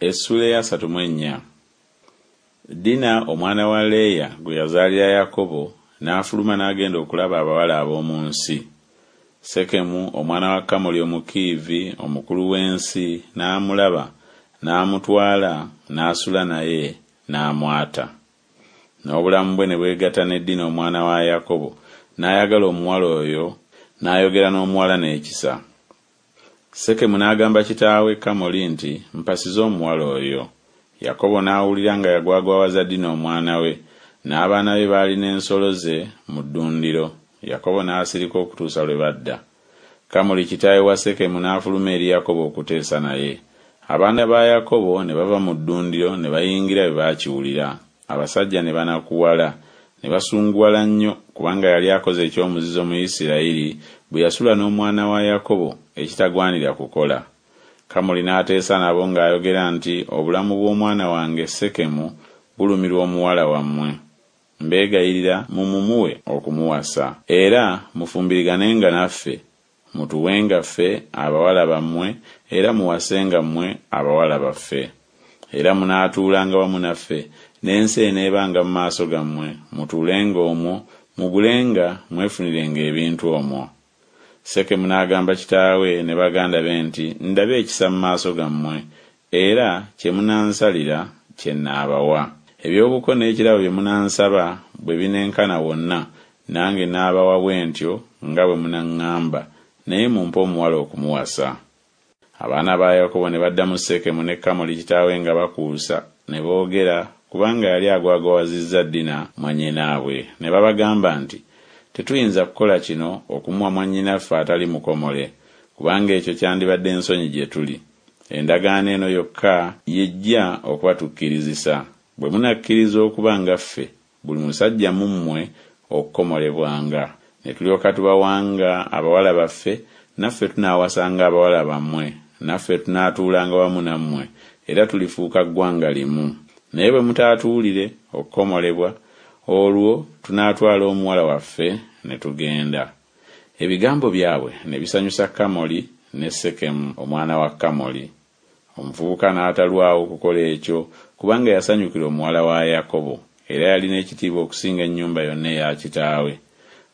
Essuula ey'asatu mu ennya. Dina omwana wa Leeya gwe yazaalira Yakobo n'afuluma n'agenda okulaba abawala ab'omu nsi. Sekemu omwana wa Kamoli Omukiivi, omukulu w'ensi, n'amulaba, n'amutwala, n'asula naye, n'amwata. N'obulamu bwe ne bwegatta ne Dina omwana wa Yakobo, n'ayagala omuwala oyo, n'ayogera n'omuwala n'ekisa. Sekemu n'agamba kitaawe Kamoli nti, Mpasiza omuwala oyo. Yakobo n'awulira nga yagwagwawaza Dina omwana we, n'abaana be baali n'ensolo ze mu ddundiro. Yakobo n'asirika okutuusa lwe badda. Kamoli kitaawe wa Sekemu n'afuluma eri Yakobo okuteesa naye. Abaana ba Yakobo ne bava mu ddundiro ne bayingira bwe baakiwulira. Abasajja ne banakuwala, ne basunguwala nnyo, kubanga yali akoze eky'omuzizo mu Isirayiri bwe yasula n'omwana wa Yakobo, ekitagwanira kukola. Kamoli n'ateesa nabo ng'ayogera nti Obulamu bw'omwana wange Sekemu bulumirwa omuwala wammwe. Mbeegayirira mumumuwe okumuwasa. Era mufumbiriganenga naffe, mutuwenga ffe abawala bammwe, era muwasenga mmwe abawala baffe. Era munaatuulanga wamu naffe, n'ensi eneebanga mu maaso gammwe, mutuulenga omwo, mugulenga mwefunirenga ebintu omwo. Sekemu n'agamba kitaawe ne baganda be nti Ndabe ekisa mu maaso gammwe, era kye munansalira kye nnaabawa. Eby'obuko n'ekirabo bye munansaba bwe binenkana wonna, nange naabawa bwe ntyo nga bwe munaŋŋamba, naye mumpe omuwala okumuwasa. Abaana ba Yakobo ne baddamu Sekemu ne Kamoli kitaawe nga bakuusa, ne boogera, kubanga yali agwagwawazizza Dina mwannyinaabwe, ne babagamba nti Tetuyinza kukola kino okumuwa mwannyinaffe atali mukomole, kubanga ekyo kyandibadde nsonyi gye tuli. Endagaano eno yokka y'ejja okubatukkirizisa, bwe munakkiriza okuba nga ffe, buli musajja mu mmwe okukomolebwanga, ne tulyoka tubawanga abawala baffe, naffe tunaawasanga abawala bammwe, naffe tunaatuulanga wamu nammwe, era tulifuuka ggwanga limu. Naye bwe mutaatuwulire okukomolebwa, olwo tunaatwala omuwala waffe ne tugenda. Ebigambo byabwe ne bisanyusa Kamoli ne Sekemu omwana wa Kamoli. Omuvubuka n'atalwawo kukola ekyo, kubanga yasanyukira omuwala wa Yakobo, era yalina ekitiibwa okusinga ennyumba yonna eya kitaawe.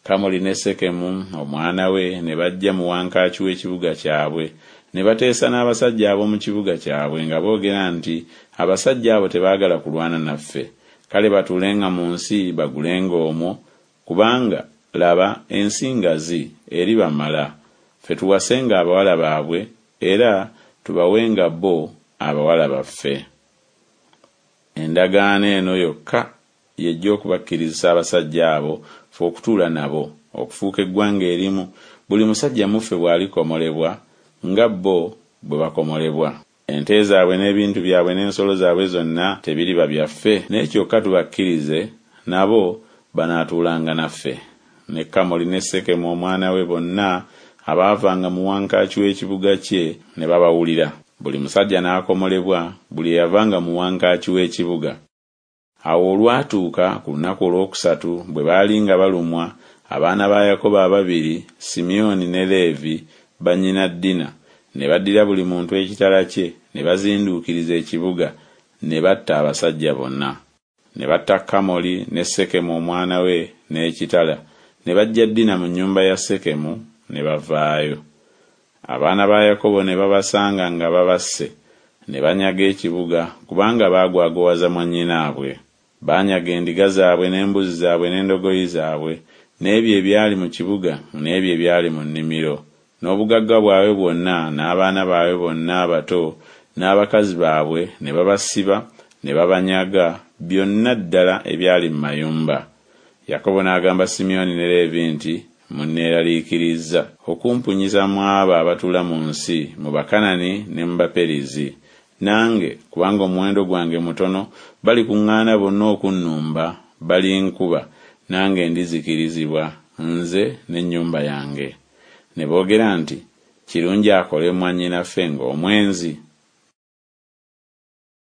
Kamoli ne Sekemu omwana we ne bajja mu wankaaki w'ekibuga kyabwe, ne bateesa n'abasajja ab'omu kibuga kyabwe nga boogera nti Abasajja abo tebaagala kulwana naffe, kale batuulenga mu nsi bagulenga omwo, kubanga, laba, ensi ngazi, eribamala, ffe tuwasenga abawala baabwe, era tubawenga bo abawala baffe. Endagaano eno yokka y'ejja okubakkirizisa abasajja abo ffe okutuula nabo, okufuuka eggwanga erimu, buli musajja mu ffe bw'alikomolebwa, nga bo bwe bakomolebwa. Ente zaabwe n'ebintu byabwe n'ensolo zaabwe zonna tebiriba byaffe? Naye kyokka tubakkirize, nabo banaatuulanga naffe. Ne Kamoli ne Sekemu omwana we bonna abaavanga mu wankaaki w'ekibuga kye ne babawulira. Buli musajja n'akomolebwa, buli eyavanga mu wankaaki w'ekibuga. Awo olwatuuka ku lunaku olwokusatu bwe baali nga balumwa, abaana ba Yakobo ababiri, Simyoni ne Leevi, bannyina Dina, ne baddira buli muntu ekitala kye, ne bazinduukiriza ekibuga, ne batta abasajja bonna. Ne batta Kamoli ne Sekemu omwana we n'ekitala, ne baggya Dina mu nnyumba ya Sekemu, ne bavaayo. Abaana ba Yakobo ne babasanga nga babasse, ne banyaga ekibuga, kubanga baagwagowaza mwannyinaabwe. Baanyaga endiga zaabwe n'embuzi zaabwe n'endogoyi zaabwe, n'ebyo ebyali mu kibuga n'ebyo ebyali mu nnimiro, n'obugagga bwabwe bwonna n'abaana baabwe bonna abato n'abakazi baabwe ne babasiba ne babanyaga, byonna ddala ebyali mu mayumba. Yakobo n'agamba Simyoni ne Leevi nti Munneeraliikirizza okumpunyisa mu abo abatuula mu nsi, mu Bakanani ne mu Baperizi. Nange, kubanga omuwendo gwange mutono, balikuŋŋaana bonna okunnumba, balinkuba, nange ndizikirizibwa, nze n'ennyumba yange. Ne boogera nti Kirungi akole mwannyinaffe ng'omwenzi?